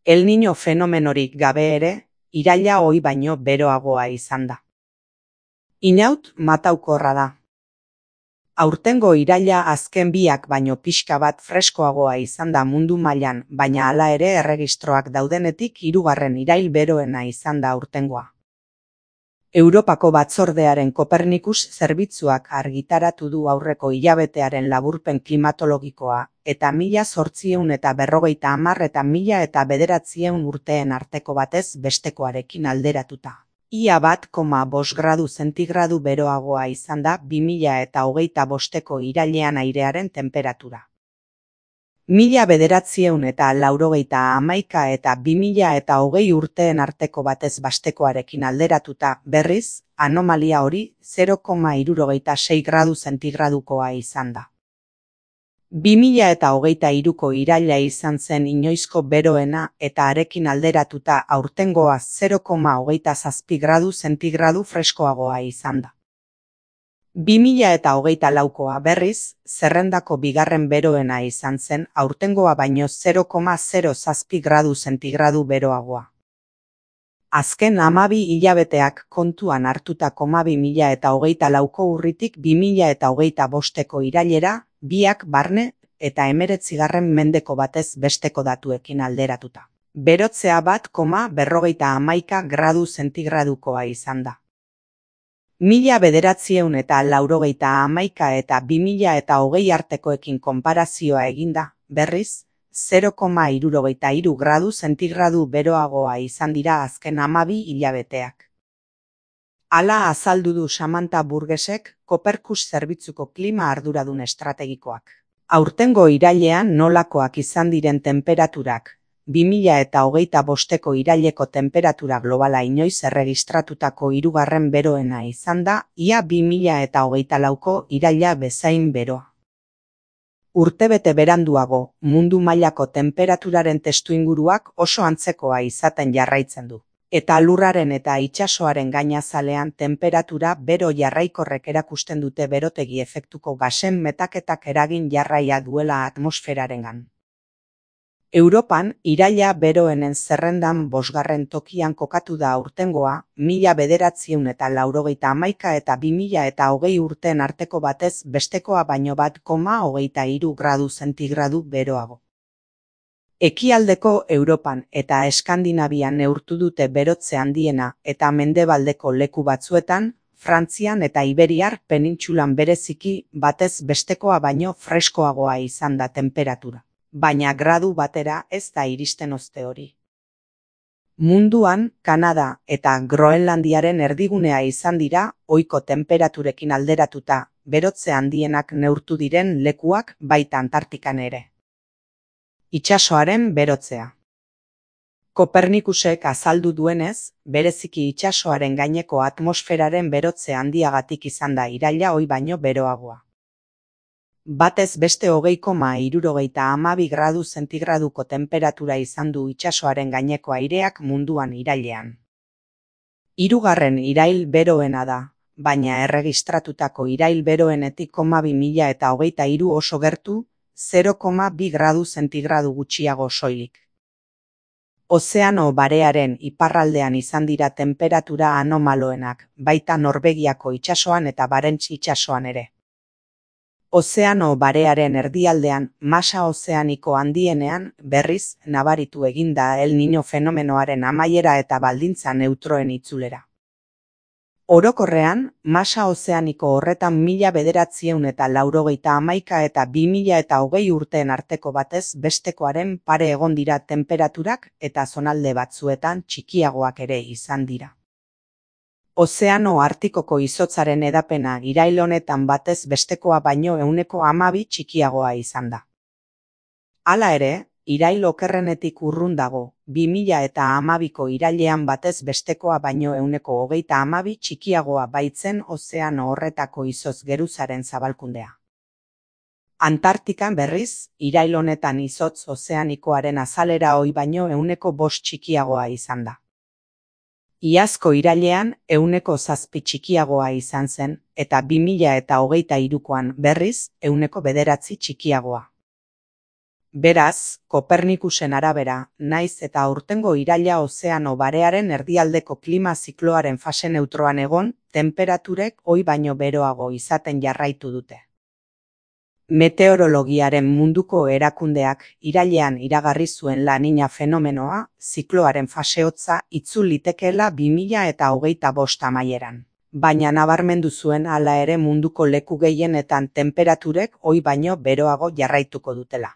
El Niño fenomenorik gabe ere, iraila ohi baino beroagoa izan da. Inaut mataukorra da. Aurtengo iraila azken biak baino pixka bat freskoagoa izan da mundu mailan, baina hala ere erregistroak daudenetik hirugarren irail beroena izan da aurtengoa. Europako Batzordearen Kopernikus zerbitzuak argitaratu du aurreko hilabetearen laburpen klimatologikoa, eta 1850 eta 1900 urteen arteko batez bestekoarekin alderatuta. Ia 1,5 gradu zentigradu beroagoa izan da 2025ko irailean airearen temperatura. 1991 eta 2020 urteen arteko batez bestekoarekin alderatuta, berriz, anomalia hori 0,66 gradu zentigradukoa izan da. 2023ko iraila izan zen inoizko beroena eta arekin alderatuta aurtengoa 0,27 gradu zentigradu freskoagoa izan da. 2024koa berriz, zerrendako bigarren beroena izan zen aurtengoa baino 0,07 gradu zentigradu beroagoa. Azken 12 hilabeteak kontuan hartuta 2024ko urritik 2025ko irailera, biak barne eta 19. mendeko batez besteko datuekin alderatuta. Berotzea 1,51 gradu zentigradukoa izan da. 1991 eta 2020 artekoekin konparazioa eginda, berriz, 0,63 gradu zentigradu beroagoa izan dira azken 12 hilabeteak. Hala azaldu du Samantha Burgessek, Kopernikus zerbitzuko klima arduradun estrategikoak. Aurtengo irailean nolakoak izan diren temperaturak, 2025ko iraileko temperatura globala inoiz erregistratutako hirugarren beroena izan da, ia 2024ko iraila bezain beroa. Urtebete beranduago, mundu mailako temperaturaren testuinguruak oso antzekoa izaten jarraitzen du. Eta lurraren eta itsasoaren gainazalean temperatura bero jarraikorrek erakusten dute berotegi efektuko gasen metaketak eragin jarraia duela atmosferarengan. Europan, iraila beroenen zerrendan 5. tokian kokatu da aurtengoa, 1991 eta 2020 urteen arteko batez bestekoa baino 1,23 gradu zentigradu beroago. Ekialdeko Europan eta Eskandinavian neurtu dute berotze handiena eta mendebaldeko leku batzuetan, Frantzian eta Iberiar penintsulan bereziki batez bestekoa baino freskoagoa izan da temperatura. Baina gradu batera ez da iristen oste hori. Munduan, Kanada eta Groenlandiaren erdigunea izan dira, ohiko temperaturekin alderatuta, berotze handienak neurtu diren lekuak baita Antartikan ere. Itsasoaren berotzea. Kopernikusek azaldu duenez, bereziki itsasoaren gaineko atmosferaren berotze handiagatik izan da iraila ohi baino beroagoa. Batez beste 20,72 gradu zentigraduko temperatura izan du itsasoaren gaineko aireak munduan irailean. Hirugarren irail beroena da, baina erregistratutako irail beroenetik 2023 oso gertu, 0,2 gradu zentigradu gutxiago soilik. Ozeano Barearen iparraldean izan dira temperatura anomaloenak, baita Norvegiako itsasoan eta Barents itsasoan ere. Ozeano Barearen erdialdean, masa ozeaniko handienean, berriz, nabaritu eginda El Niño fenomenoaren amaiera eta baldintza neutroen itzulera. Orokorrean, masa ozeaniko horretan 1991 eta 2020 urteen arteko batez bestekoaren pare egon dira temperaturak eta zonalde batzuetan txikiagoak ere izan dira. Ozeano Artikoko izotzaren edapena irail honetan batez bestekoa baino 12 txikiagoa izan da. Hala ere, irail okerrenetik urrun dago, 2012ko irailean batez bestekoa baino 12 txikiagoa baitzen ozeano horretako izotz geruzaren zabalkundea. Antartikan berriz, irail honetan izotz ozeanikoaren azalera ohi baino 5 txikiagoa izan da. Iazko irailean 7 txikiagoa izan zen, eta 2023koan berriz 9 txikiagoa. Beraz, Kopernikusen arabera, naiz eta aurtengo iraila ozeano barearen erdialdeko klima zikloaren fase neutroan egon, tenperaturek ohi baino beroago izaten jarraitu dute. Meteorologiaren munduko erakundeak irailean iragarri zuen La Niña fenomenoa, zikloaren fase hotza itzul litekeela 2025 amaieran. Baina nabarmendu zuen hala ere munduko leku gehienetan tenperaturek ohi baino beroago jarraituko dutela.